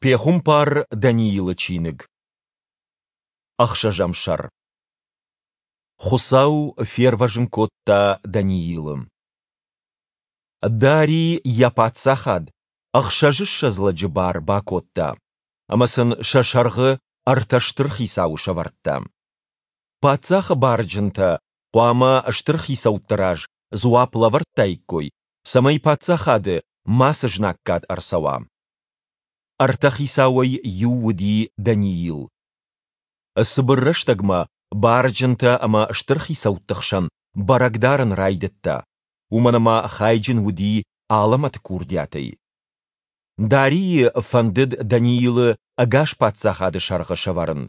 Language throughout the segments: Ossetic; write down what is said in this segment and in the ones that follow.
Пехуымпар Даниилы чиныг. Ӕхсӕзӕм сӕр. Хуыцау фервӕзын кодта Даниилы. Дарий йӕ паддзахад ӕхсӕзыссӕдз лӕджы бар бакодта, ӕмӕ сын сӕ сӕргъы ӕртӕ стыр хицауы сӕвӕрдта. Паддзахы барджынтӕ хъуамӕ стыр хицӕутты раз дзуапп лӕвӕрдтаиккой, цӕмӕй паддзахады мацы знаггад ӕрцӕуа. Ӕртӕ хицауӕй иу уыди Даниил. Цыбыр рӕстӕгмӕ барджынтӕ ӕмӕ стыр хицӕутты хсӕн бӕрӕг дарын райдыдта, уымӕн ӕмӕ хайджын уыди алӕмӕты курдиатӕй. Дарийы фӕндыд Даниилы ӕгас паддзахады сӕргъы сӕвӕрын.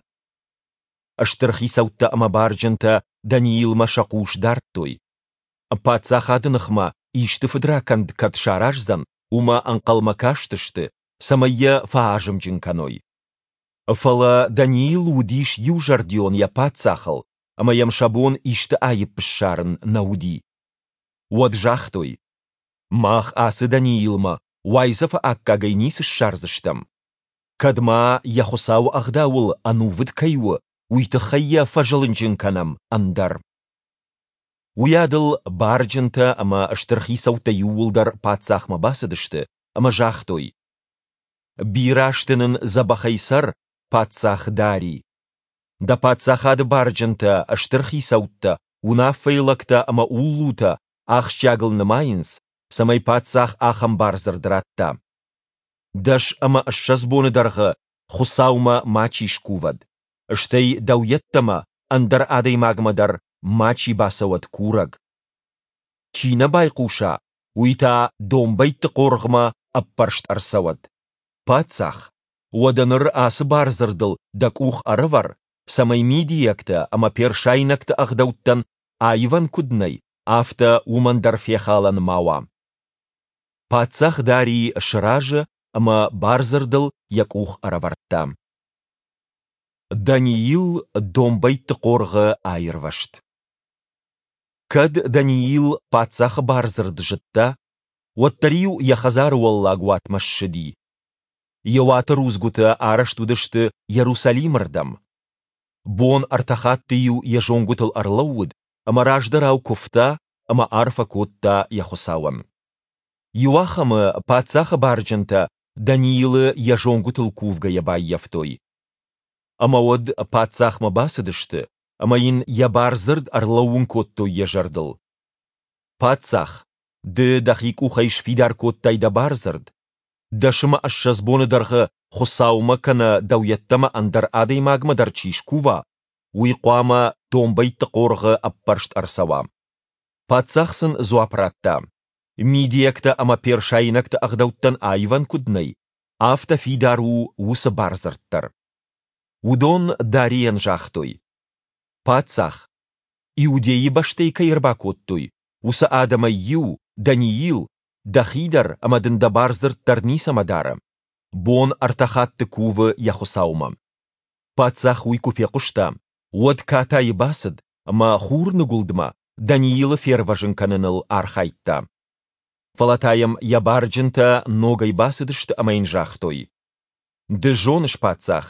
Стыр хицӕуттӕ ӕмӕ барджынтӕ Даниилмӕ сӕ хъус дардтой. Паддзахады ныхмӕ исты фыдракӕнд кӕд сараздзӕн, уымӕ ӕнхъӕлмӕ кастысты, цӕмӕй йӕ фӕазымджын кӕной. Фӕлӕ Даниил уыдис иузӕрдион йӕ паддзахыл, ӕмӕ йӕм сӕ бон исты аипп ссарын нӕ уыди. Уӕд загътой: Мах ацы Даниилмӕ уайдзӕфы аккагӕй ницы ссардзыстӕм. Кӕд ма йӕ Хуыцауы ӕгъдауыл ӕнувыд кӕй у, уый тыххӕй йӕ фӕзылынджын кӕнӕм, ӕндӕр. Уыйадыл барджынтӕ ӕмӕ стыр хицӕуттӕ иууылдӕр паддзахмӕ бацыдысты ӕмӕ загътой: Бирӕ азты нын дзӕбӕхӕй цӕр, паддзах Дарий! Дӕ паддзахады барджынтӕ, стыр хицӕуттӕ, уынаффӕйы лӕгтӕ ӕмӕ уллутӕ ахсджиагыл нымайынц, цӕмӕй паддзах ахӕм бардзырд радта: 20 боны дӕргъы Хуыцаумӕ мачи скувӕд, стӕй дӕу йеддӕмӕ ӕндӕр адӕймагмӕ дӕр мачи бацӕуӕд курӕг. Чи нӕ байхъуса, уый та домбӕйтты хъоргъмӕ ӕппӕрст ӕрцӕуӕд. Паддзах, уӕдӕ ныр ацы бардзырдыл дӕ къух ӕрӕвӕр, цӕмӕй мидийӕгтӕ ӕмӕ персайнӕгты ӕгъдӕуттӕн аивӕн куыд нӕй, афтӕ уымӕн дӕр фехалӕн ма уа. Паддзах Дарий сразы ӕмӕ бардзырдыл йӕ къух ӕрӕвӕрдта. Даниил домбӕйтты хъоргъы аирвӕзт. Кӕд Даниил паддзахы бардзырд зыдта, уӕддӕр-иу йӕ хӕдзары уӕллаг уатмӕ ссыди. Йӕ уаты рудзгуытӕ арӕзт уыдысты Иерусалимы рдӕм. Бон ӕртӕ хатты-иу йӕ зонгуытыл ӕрлӕууыд ӕмӕ раздӕрау куывта ӕмӕ арфӕ кодта йӕ Хуыцауӕн. Иуахӕмы паддзахы барджынтӕ Даниилы йӕ зонгуытыл кувгӕйӕ баййӕфтой. Ӕмӕ уӕд паддзахмӕ бацыдысты ӕмӕ йын йӕ бардзырд ӕрлӕууын кодтой йӕ зӕрдыл. Паддзах, ды дӕхи къухӕй сфидар кодтай дӕ бардзырд. 20 боны дӕргъы Хуыцаумӕ кӕнӕ дӕу йеддӕмӕ ӕндӕр адӕймагмӕ дӕр чи скува, уый хъуамӕ домбӕйтты хъоргъы ӕппӕрст ӕрцӕуа. Паддзах сын дзуапп радта: Мидийӕгтӕ ӕмӕ персайнӕгты ӕгъдӕуттӕн аивӕн куыд нӕй, афтӕ фидар у уыцы бардзырд дӕр. Уыдон Дарийӕн загътой: Паддзах, Иудейы бӕстӕй кӕй ӕрбакодтой, уыцы адӕмӕй иу, Даниил, дӕхи дӕр ӕмӕ дын дӕ бардзырд дӕр ницӕмӕ дары. Бон ӕртӕ хатты кувы йӕ Хуыцаумӕ. Паддзах уый куы фехъуыста, уӕд катайы бацыд ӕмӕ хурныгуылдмӕ Даниилы фервӕзын кӕныныл архайдта. Фӕлӕ та йӕм йӕ барджынтӕ ногӕй бацыдысты ӕмӕ йын загътой: Ды зоныс, паддзах,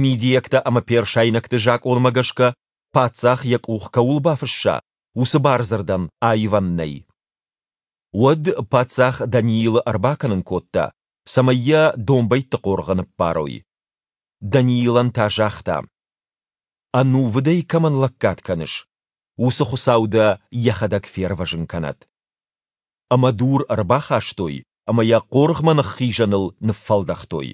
мидийӕгтӕ ӕмӕ персайнӕгты закъонмӕ гӕсгӕ паддзах йӕ къух кӕуыл бафысса, уыцы бардзырдӕн аивӕн нӕй. Уӕд паддзах Даниилы ӕрбакӕнын кодта, цӕмӕй йӕ домбӕйтты хъоргъы ныппарой. Даниилӕн та загъта: Ӕнувыдӕй кӕмӕн лӕггад кӕныс, уыцы Хуыцау дӕ йӕхӕдӕг фервӕзын кӕнӕд. Ӕмӕ дур ӕрбахастой ӕмӕ йӕ хъоргъмӕ ныххизӕныл ныффӕлдӕхтой.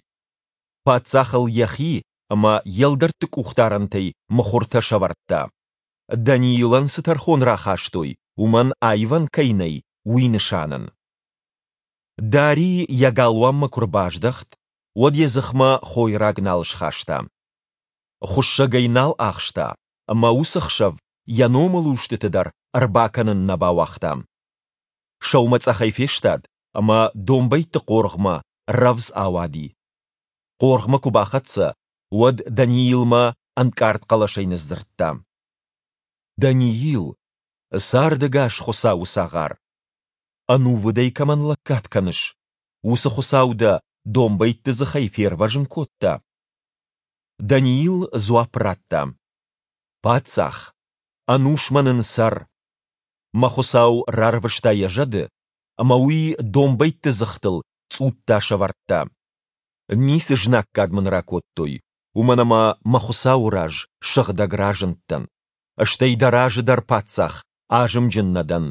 Паддзах ыл йӕхи ӕмӕ йе лдӕртты къухдарӕнтӕй мыхуыртӕ сӕвӕрдта. Даниилӕн цы тӕрхон рахастой, уымӕн аивӕн кӕй нӕй, уый нысанӕн. Дарий йӕ галуанмӕ куы рбаздӕхт, уӕд йӕ дзыхмӕ хойраг нал схаста. Хуыссӕг ӕй нал ахста, ӕмӕ уыцы хсӕв йӕ номылустыты дӕр ӕрбакӕнын нӕ бауагъта. Сӕумӕцъӕхӕй фестад ӕмӕ домбӕйтты хъоргъмӕ рӕвдз ауади. Хъоргъмӕ куы бахӕццӕ, уӕд Даниилмӕ ӕнкъард хъӕлӕсӕй ныдздзырдта: Даниил, цардӕгас Хуыцауы цагъар! Ӕнувыдӕй кӕмӕн лӕггад кӕныс, уыцы Хуыцау дӕ домбӕйтты дзыхӕй фервӕзын кодта? Даниил дзуапп радта, Паддзах, ӕнусмӕ нын цӕр! Мӕ Хуыцау рарвыста йӕ зӕды, ӕмӕ уый домбӕйтты дзыхтыл цъутта сӕвӕрдта. Ницы знаггад мын ракодтой, уымӕн ӕмӕ мӕ Хуыцауы раз сыгъдӕг разындтӕн, стӕй дӕ разы дӕр, паддзах, азымджын нӕ дӕн.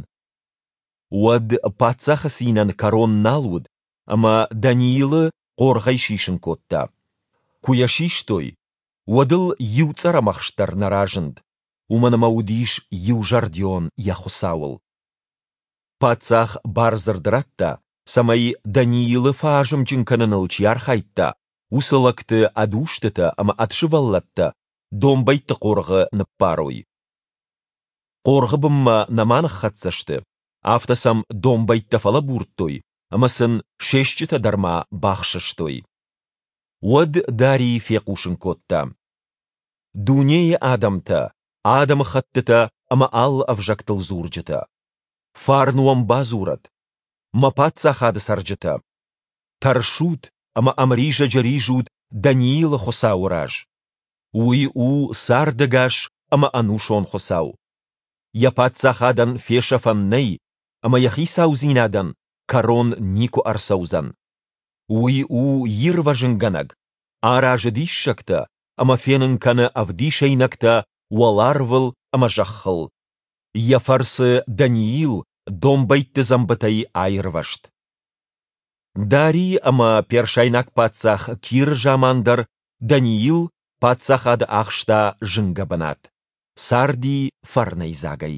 Уӕд паддзахы цинӕн кӕрон нал уыд, ӕмӕ Даниилы хъоргъӕй сисын кодта. Куы йӕ систой, уӕд ыл иу цъӕрӕмӕхст дӕр нӕ разынд, уымӕн ӕмӕ уыдис иузӕрдион йӕ Хуыцауыл. Паддзах бардзырд радта, цӕмӕй Даниилы фӕазымджын кӕныныл чи архайдта, уыцы лӕгты ӕд устытӕ ӕмӕ ӕд сывӕллӕттӕ домбӕйтты хъоргъы ныппарой. Хъоргъы бынмӕ нӕма ныххӕццӕ сты, афтӕ сӕм домбӕйттӕ фӕлӕбурдтой ӕмӕ сын се стджытӕ дӕр ма бахсыстой. Уӕд Дарий фехъусын кодта: Дунейы адӕмтӕ, адӕмыхӕттытӕ ӕмӕ алы ӕвзӕгтыл дзурджытӕ! Фарн уӕм бадзурӕд, мӕ паддзахады цӕрджытӕ! Тӕрсут ӕмӕ ӕмризӕджы ризут Даниилы Хуыцауы раз! Уый у цардӕгас ӕмӕ ӕнусон Хуыцау. Йӕ паддзахадӕн фесӕфӕн нӕй ӕмӕ йӕ хицаудзинадӕн кӕрон никуы ӕрцӕудзӕн. Уый у ирвӕзынгӕнӕг, аразы диссӕгтӕ ӕмӕ фенын кӕны ӕвдисӕйнӕгтӕ уӕларвыл ӕмӕ зӕххыл. Йӕ фӕрцы Даниил домбӕйтты дзӕмбытӕй аирвӕзт. Дарий ӕмӕ персайнаг паддзах Киры заман дӕр Даниил паддзахады ахста зынгӕ бынат, царди фӕрнӕйдзагӕй.